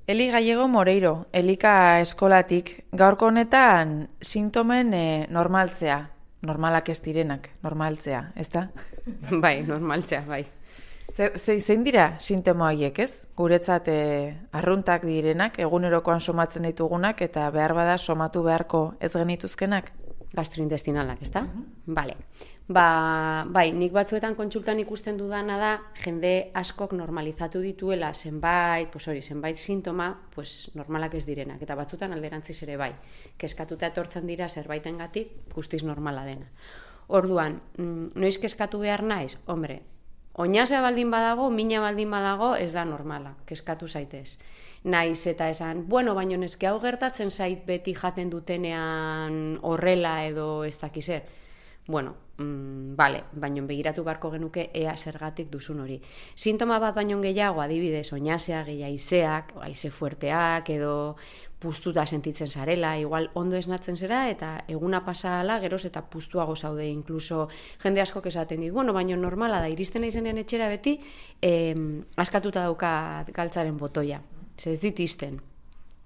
Eli Gallego Moreiro, Elika eskolatik, gaurko honetan sintomen normaltzea, normalak ez direnak, normaltzea, ezta? Bai, normaltzea, bai. Zein dira sintoma horiek, ez? Guretzat arruntak direnak, egunerokoan somatzen ditugunak, eta behar bada somatu beharko ez genituzkenak? Gastrointestinalak, ezta? Bale. Bai, nik batzuetan kontsultan ikusten dudana da, jende askok normalizatu dituela zenbait sintoma, normalak ez direnak, eta batzuetan alderantziz ere bai. Keskatuta etortzen dira zerbaitengatik guztiz normala dena. Orduan, noiz keskatu behar naiz? Hombre, oinazea baldin badago, mina baldin badago, ez da normala, keskatu zaitez. Naiz eta esan, baino neske hau gertatzen zait beti jaten dutenean horrela edo ez dakizer. Bale, baino begiratu beharko genuke ea zergatik duzun hori. Sintoma bat baino gehiago, adibidez, oinazea, haizeak, haize fuerteak edo puztuta sentitzen zarela, igual ondo esnatzen zera eta eguna pasa ala, geroz eta puztuago zaude, inkluso jende askok esaten dit, baino normala da, iristen naizenean etxera beti, askatuta dauka galtzaren botoia. Ez dit izten.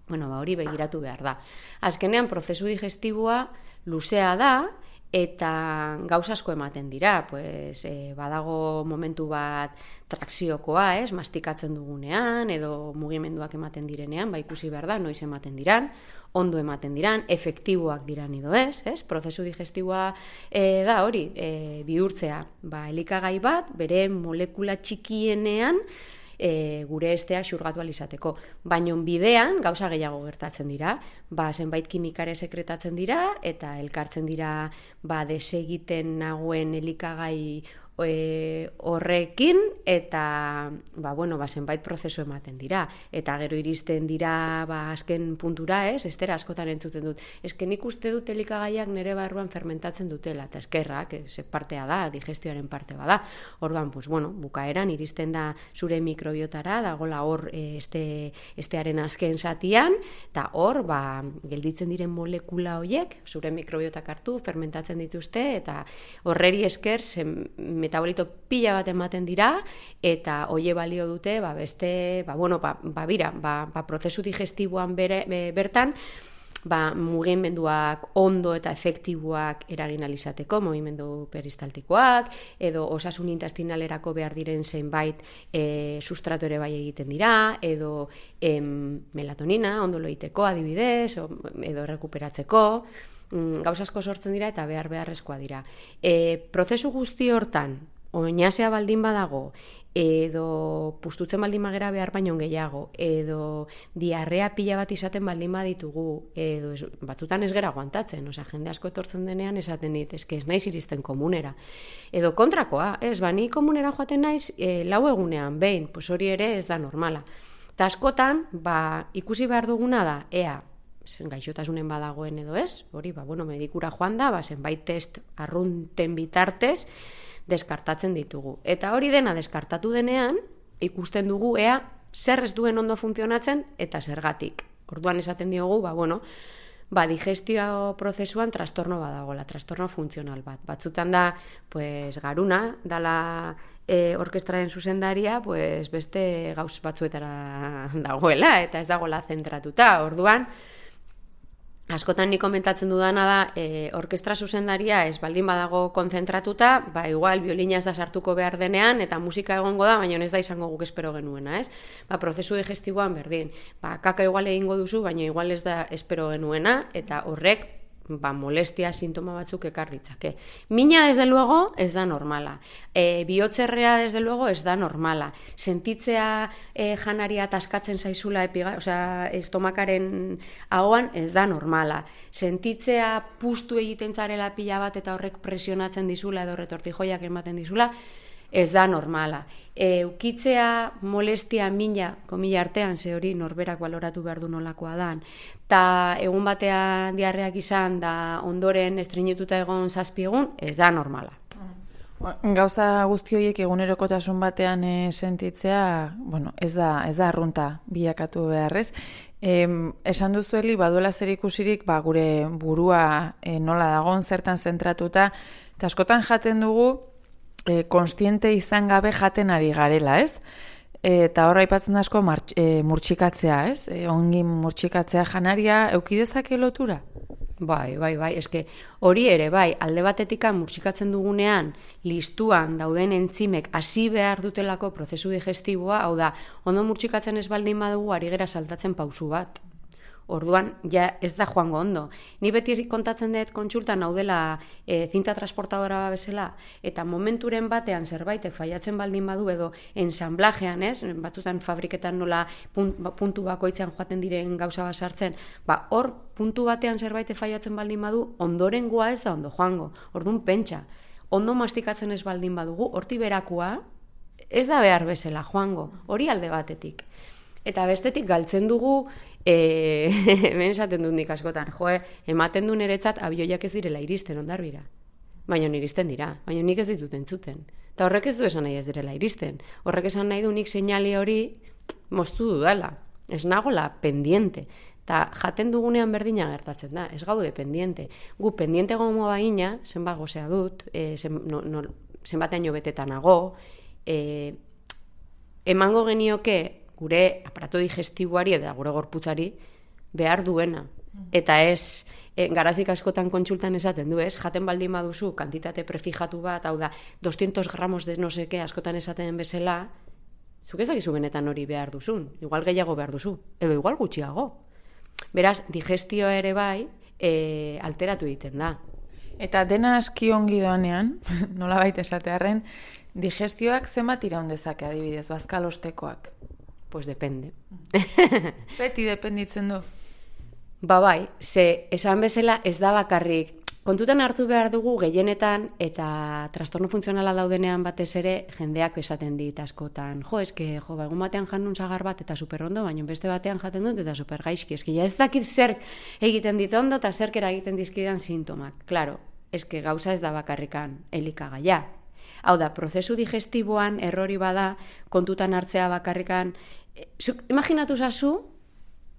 Hori begiratu behar da. Azkenean, prozesu digestiboa luzea da, eta gauza asko ematen dira, badago momentu bat trakziokoa, mastikatzen dugunean, edo mugimenduak ematen direnean, ikusi behar da, noiz ematen diran, ondo ematen diran, efektiboak diran edo ez, prozesu digestiboa da hori, bihurtzea, elikagai bat, bere molekula txikienean, gure esteak xurgatu alizateko. Baina bidean gauza gehiago gertatzen dira, zenbait kimikare sekretatzen dira eta elkartzen dira desegiten nagoen elikagai horrekin eta zenbait prozesu ematen dira eta gero iristen dira azken puntura, estera askotan entzuten dut, nik uste dut elikagaiak nire barruan fermentatzen dutela eta eskerrak, partea da, digestioaren parte bada. Orduan, bukaeran iristen da zure mikrobiotara, dagola hor estearen azken zatian eta hor gelditzen diren molekula horiek zure mikrobiotak hartu, fermentatzen dituzte eta horreri esker metabolito pila bat ematen dira eta hoie balio dute beste, prozesu digestiboan bertan mugimenduak ondo eta efektiboak eragin alizateko, mugimendu peristaltikoak edo osasun intestinalerako behar diren zenbait sustrato ere bai egiten dira edo melatonina ondo loiteko adibidez edo rekuperatzeko, gauza asko sortzen dira eta beharrezkoa dira. Prozesu guzti hortan, oinazea baldin badago, edo puztutzen baldin bagera behar baino gehiago, edo diarrea pila bat izaten baldin baditugu, edo batzutan ez gera aguantatzen, jende asko etortzen denean esaten dit, ez naiz iristen komunera. Edo kontrakoa, ni komunera joaten naiz, 4 egunean behin, hori ere ez da normala. Eta askotan, ikusi behar duguna da, ea, gaixotasunen badagoen edo ez, hori, medikura joan da, zenbait test arrunten bitartez, deskartatzen ditugu. Eta hori dena deskartatu denean, ikusten dugu ea zer ez duen ondo funtzionatzen eta zergatik. Orduan esaten diogu, digestio prozesuan trastorno badagola, trastorno funtzional bat. Batzutan da, garuna, dala orkestraren zuzendaria, beste gauz batzuetara dagoela, eta ez dagoela zentratuta. Orduan, askotan nik komentatzen dudana da, orkestra zuzendaria ez baldin badago konzentratuta, igual biolina ez da sartuko behar denean, eta musika egongo da, baina ez da izango guk espero genuena, ez? Prozesu digestiboan berdin. Kaka igual egingo duzu, baina igual ez da espero genuena, eta horrek molestia sintoma batzuk ekar ditzake. Mina, desde luego, ez da normala. Bihotzerrea, desde luego, ez da normala. Sentitzea janaria taskatzen zaizula estomakaren ahoan, ez da normala. Sentitzea puztu egiten zarela pila bat eta horrek presionatzen dizula edo retortijoiak ematen dizula, ez da normala. Ukitzea molestia mina, komila artean, ze hori norberak baloratu behar du nolakoa dan, eta egun batean diarreak izan da ondoren estreinetuta egon 7 egun, ez da normala. Gauza guzti horiek egunerokotasun batean sentitzea, ez da arrunta bilakatu beharrez. Esan duzueli, baduela zer ikusirik, gure burua nola dagoen zertan zentratuta, eta askotan jaten dugu, konstiente izan gabe jaten ari garela, ez? eta horra aipatzen asko murtsikatzea, ez? Ongi murtsikatzea janaria, eukidezake lotura? Bai, eske hori ere, bai, alde batetikan murtsikatzen dugunean, listuan dauden entzimek hasi behar dutelako prozesu digestiboa, hau da, ondo murtsikatzen ez baldin badugu ari gera saltatzen pausu bat. Orduan, ja ez da joango ondo. Ni beti kontatzen dut kontsultan hau dela zinta transportadora bezala, eta momenturen batean zerbaitek faiatzen baldin badu edo ensamblajean, ez? Batzutan fabriketan nola puntu bakoitzean joaten diren gauza bat sartzen, hor puntu batean zerbaitek faiatzen baldin badu, ondorengoa ez da ondo joango. Orduan pentsa, ondo mastikatzen ez baldin badugu, horti berakua ez da behar bezala joango, hori alde batetik. Eta bestetik galtzen dugu, hemen esaten dut nik askotan, ematen du niretzat abioiak ez direla iristen ondarbira. Baina iristen dira, baina nik ez ditut entzuten. Eta horrek ez du esan nahi ez direla iristen. Horrek esan nahi du nik seinali hori moztu dudala. Ez nagola pendiente. Eta jaten dugunean berdina gertatzen da, ez gaude pendiente. Gu pendiente gomo baina, zenbat gozea dut, zenbatean beteta nago, emango genioke gure aparato digestiboari eta gure gorputzari behar duena. Eta ez, garazik askotan kontsultan esaten du, ez? Jaten baldin baduzu kantitate prefijatu bat, hau da, 200 gramos de no seke askotan esaten bezala, zuk ez dakizu benetan hori behar duzun. Igual gehiago behar duzu, edo igual gutxiago. Beraz, digestio ere bai, alteratu egiten da. Eta dena aski ongi doanean, nola baita esatearren, digestioak zenbat iraun dezake adibidez, bazkalostekoak? Pues depende. Beti dependitzen du. Bai, ze esan bezala ez da bakarrik. Kontutan hartu behar dugu gehienetan eta trastorno funtzionala daudenean batez ere jendeak esaten dit askotan. Egun batean jan nun sagar bat eta superondo, baina beste batean jaten dut eta supergaizki. Eske ja ez dakit zer egiten dit ondo eta zer egiten dizkidan sintomak. Claro, eske gauza ez da bakarrikan elikagaia. Hau da, prozesu digestiboan errori bada kontutan hartzea bakarrikan. Imaginatu zazu,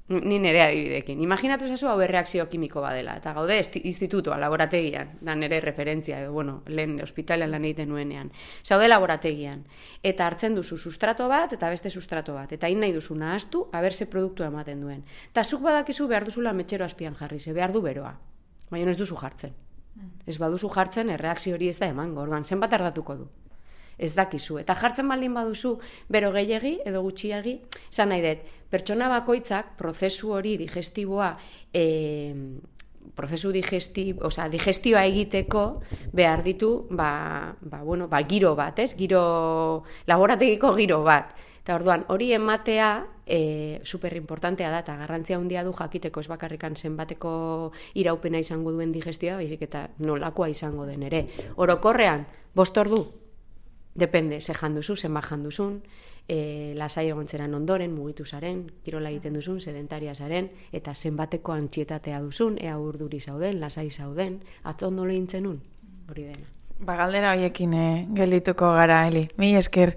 ni nere adibidekin, imaginatu zazu hau erreakzio kimiko badela, eta gaude institutoa, laborategian, da nere referentzia, lehen hospitalean lan egiten nuenean. Zaude laborategian, eta hartzen duzu sustrato bat, eta beste sustrato bat, eta nahi duzu nahaztu, haberse produktua ematen duen. Eta zuk badakizu behar duzula metxero azpian jarri, ze behar du beroa, baina ez duzu jartzen. Ez baduzu jartzen, erreakzio hori ez da emango, orduan, zenbat ardatuko du. Ez dakizu. Eta jartzen baldin baduzu, bero gehiegi edo gutxiagi, esan nahi dut, pertsona bakoitzak prozesu hori digestiboa, digestioa egiteko behar ditu, giro bat, ez? Laborategiko giro bat. Eta orduan, hori ematea superimportantea da, eta garrantzia handia du jakiteko ez bakarrikan zenbateko iraupena izango duen digestioa, baizik eta nolakoa izango den ere. Orokorrean, 5 ordu, depende, ze janduzu, zenbat janduzun, lasai egontzeran ondoren, mugitu zaren, kirola egiten duzun, sedentaria zaren, eta zenbateko antxietatea duzun, ea urduri zauden, lasai zauden, atzo ondo lehintzen un, hori dena. Galdera horiekin geldituko gara, Eli. Mi esker.